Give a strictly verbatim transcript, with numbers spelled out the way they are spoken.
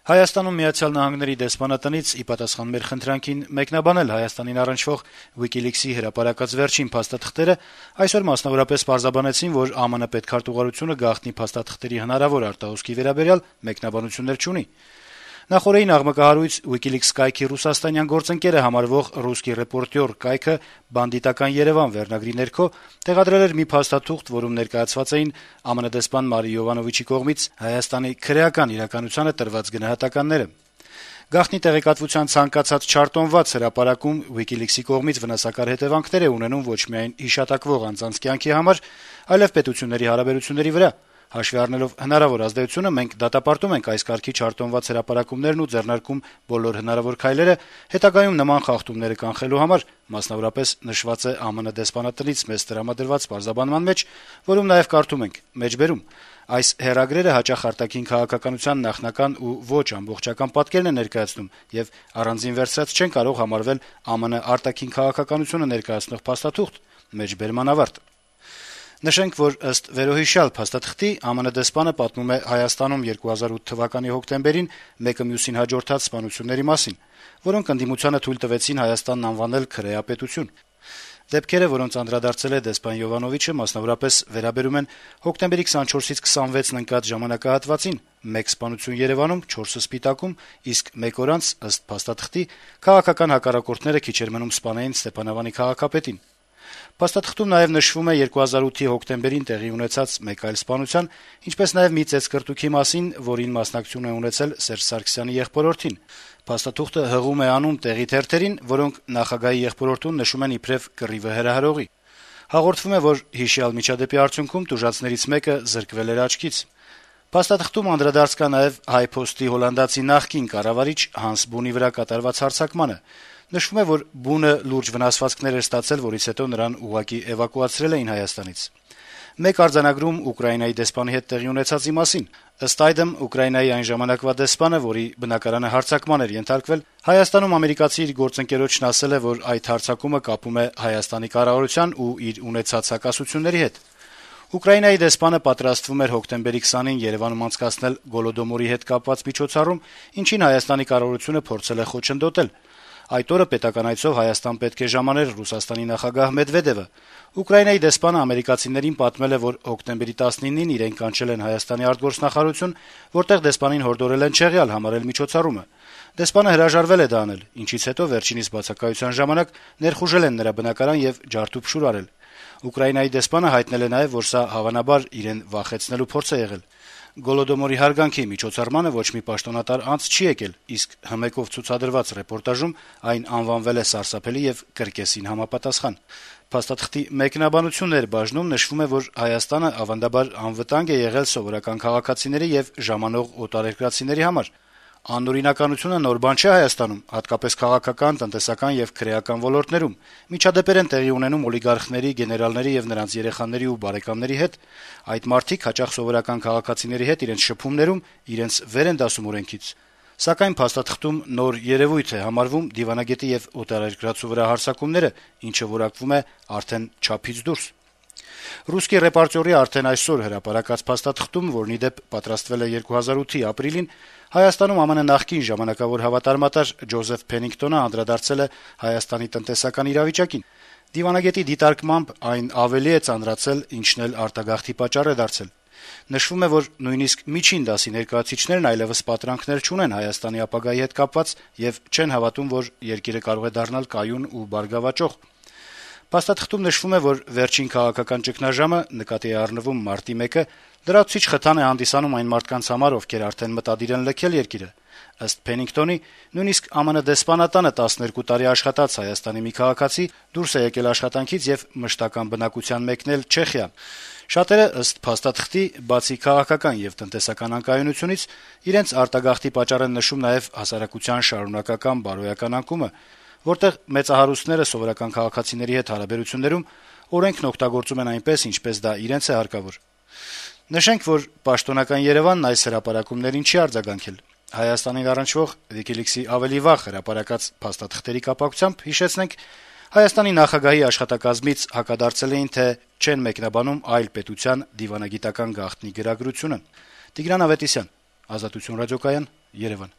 Հայաստանում Միացյալ Նահանգների դեսպանատնից ի պատասխան մեր խնդրանքին մեկնաբանել Հայաստանին առնչվող WikiLeaks-ի հրապարակած վերջին փաստաթղթերը, այսօր մասնավորապես պարզաբանեցին, որ ԱՄՆ պետքարտուղարությունը գաղտնի փաստաթղթերի հնարավոր արտահոսքի վերաբերյալ մեկնաբանություններ չունի։ Նախորդին աղմկահարույց WikiLeaks կայքի ռուսաստանյան գործընկեր է համարվող «Ռուսկի ռեպորտյոր» կայքը «Բանդիտական Երևան» վերնագրի ներքո տեղադրել էր մի փաստաթուղթ, որում ներկայացված էին ԱՄՆ դեսպան Մարի Յովանովիչի կողմից Հայաստանի քրեական իրականությանը տրված գնահատականները։ Գաղտնի տեղեկատվության ցանկացած չարտոնված հրապարակում WikiLeaks-ի կողմից վնասակար հետևանքներ է ունենում ոչ միայն հիշատակվող անձանց կյանքի համար, այլև պետությունների հարաբերությունների վրա։ Հաշվի առնելով հնարավոր ազդեցությունը, մենք դատապարտում ենք այս կարգի չարտոնված հրապարակումներն ու ձեռնարկում բոլոր հնարավոր քայլերը հետագայում նման խախտումները կանխելու համար, մասնավորապես նշված է ԱՄՆ դեսպանատնից մեզ տրամադրված պարզաբանման մեջ, որում նաև կարդում ենք. «Մեջբերում այս հեռագրերը հաճախ արտաքին քաղաքականության նախնական ու ոչ ամբողջական պատկերն է ներկայացնում եւ առանձին վերցրած չեն կարող համարվել ԱՄՆ արտաքին քաղաքականությունը ներկայացնող փաստաթուղթ»։ Մեջբերման ավարտ։ Նշենք, որ ըստ վերոհիշյալ փաստաթղթի ԱՄՆ դեսպանը պատմում է Հայաստանում երկու հազար ութ թվականի հոկտեմբերին մեկը մյուսին հաջորդած սպանությունների մասին, որոնք ընդդիմությանը թույլ տվեցին Հայաստանն անվանել քրեապետություն։ Դեպքերը, որոնց անդրադարձել է դեսպան Յովանովիչը, մասնավորապես վերաբերում են հոկտեմբերի քսանչորսից քսանվեցն ընկած ժամանակահատվածին՝ մեկ սպանություն Երևանում, չորսը Սպիտակում, իսկ մեկ օր անց, ըստ փաստաթղթի, քաղաքական հակառակորդները քիչ էր մնում սպանեին Ստեփանավանի քաղաքապետին։ Փաստաթղթում նաև նշվում է երկու հազար ութի հոկտեմբերին տեղի ունեցած մեկ այլ սպանության, ինչպես նաև մի ծեծկռտուքի մասին, որին մասնակցություն է ունեցել Սերժ Սարգսյանի եղբորորդին։ Փաստաթուղթը հղում է անում տեղի թերթերին, որոնք նախագահի եղբորորդուն նշում են իբրև կռիվը հրահրողի։ Հաղորդվում է, որ հիշյալ միջադեպի արդյունքում տուժածներից մեկը զրկվել էր աչքից։ Փաստաթղթում անդրադարձ կա նաև Հայ-Փոստի հոլանդացի նախկին կառավարիչ Հանս Բունի վրա կատարված հարձակմանը։ Նշվում է, որ Բունը լուրջ վնասվածքներ էր ստացել, որից հետո նրան ուղղակի էվակուացրել էին Հայաստանից։ Մեկ արձանագրում Ուկրաինայի դեսպանի հետ տեղի ունեցածի մասին։ Ըստ այդմ, Ուկրաինայի այն ժամանակվա դեսպանը, որի բնակարանը հարձակման էր ենթարկվել, Հայաստանում ամերիկացի իր գործընկերոջն ասել է, որ այդ հարձակումը կապում է Հայաստանի կառավարության ու իր ունեցած հակասությունների հետ։ Ուկրաինայի դեսպանը պատրաստվում էր հոկտեմբերի քսանին Երևանում անցկացնել Գոլոդոմորի հետ կապված միջոցառում, ինչին Հայաստանի կառավարությունը փորձել է խոչընդոտել։ Այդ օրը պետական այցով Հայաստան պետք է ժամաներ Ռուսաստանի նախագահ Մեդվեդևը։ Ուկրաինայի դեսպանը ամերիկացիներին պատմել է, որ հոկտեմբերի տասնինին իրեն կանչել են Հայաստանի արտգործնախարարություն, որտեղ դեսպանին հորդորել են չեղյալ համարել միջոցառումը։ Դեսպանը հրաժարվել է դա անել, ինչից հետո վերջինիս բացակայության ժամանակ ներխուժել են նրա բնակարան եւ ջարդուփշուր արել։ Ուկրաինայի դեսպանը հայտնել է նաեւ, որ սա հավանաբար իրեն վախեցնելու փորձ է եղել։ Գոլոդոմորի հարգանքի միջոցառմանը ոչ մի պաշտոնատար անց չի եկել, իսկ հմեկով ցուցադրված ռեպորտաժում այն անվանվել է սարսափելի եւ կրկեսին համապատասխան։ Փաստաթղթի մեկնաբանություններ բաժնում նշվում է, որ Հայաստանը ավանդաբար անվտանգ է եղել սովորական քաղաքացիների եւ ժամանող օտարերկրացիների համար։ Անօրինականությունը նոր բան չէ Հայաստանում, հատկապես քաղաքական, տնտեսական եւ քրեական ոլորտներում։ Միջադեպեր են տեղի ունենում օլիգարխների, գեներալների եւ նրանց երեխաների ու բարեկամների հետ։ Այդ մարդիկ հաճախ սովորական քաղաքացիների հետ իրենց շփումներում իրենց վեր են դասում օրենքից։ Սակայն փաստաթղթում նոր երևույթ է համարվում դիվանագետի եւ օտարերկրացու վրա հարձակումները, ինչը որակվում է արդեն չափից դուրս։ «Ռուսկի ռեպորտյորի» արդեն այսօր հրապարակած փաստաթղթում, որն ի դեպ պատրաստվել է երկու հազար ութի ապրիլին, Հայաստանում ԱՄՆ նախկին ժամանակավոր հավատարմատար Ջոզեֆ Փենինգտոնը անդրադարձել է Հայաստանի տնտեսական իրավիճակին։ Դիվանագետի դիտարկմամբ այն ավելի է ծանրացել, ինչն էլ արտագաղթի պատճառ է դարձել։ Նշվում է, որ նույնիսկ միջին դասի ներկայացուցիչներն այլևս պատրանքներ չունեն Հայաստանի ապագայի հետ կապված եւ չեն հավատում, որ երկիրը կարող է դառնալ կայուն ու բարգավաճող։ Փաստաթղթում նշվում է, որ վերջին քաղաքական ճգնաժամը, նկատի է առնվում մարտի մեկը, լրացուցիչ խթան է հանդիսանում այն մարդկանց համար, ովքեր արդեն մտադիր են լքել երկիրը։ Ըստ Փենինգտոնի, նույնիսկ ԱՄՆ դեսպանատանը տասներկու տարի աշխատած Հայաստանի մի քաղաքացի դուրս է եկել աշխատանքից եւ մշտական բնակության մեկնել Չեխիա։ Շատերը, ըստ փաստաթղթի, բացի քաղաքական եւ տնտեսական անկայունությունից, իրենց արտագաղթի պատճառ են նշում նաեւ հասարակության շարունակական բարոյական անկումը, որտեղ մեծահարուստները սովորական քաղաքացիների հետ հարաբերություններում օրենքն օգտագործում են այնպես, ինչպես դա իրենց է հարկավոր։ Նշենք, որ պաշտոնական Երևանն այս հրապարակումներին չի արձագանքել։ Հայաստանին առնչվող WikiLeaks-ի ավելի վաղ հրապարակած փաստաթղթերի կապակցությամբ հիշեցնենք, Հայաստանի նախագահի աշխատակազմից հակադարձել էին, թե չեն մեկնաբանում այլ պետության դիվանագիտական գաղտնի գրագրությունը։ Տիգրան Ավետիսյան, Ազատություն ռադիոկայան, Երևան։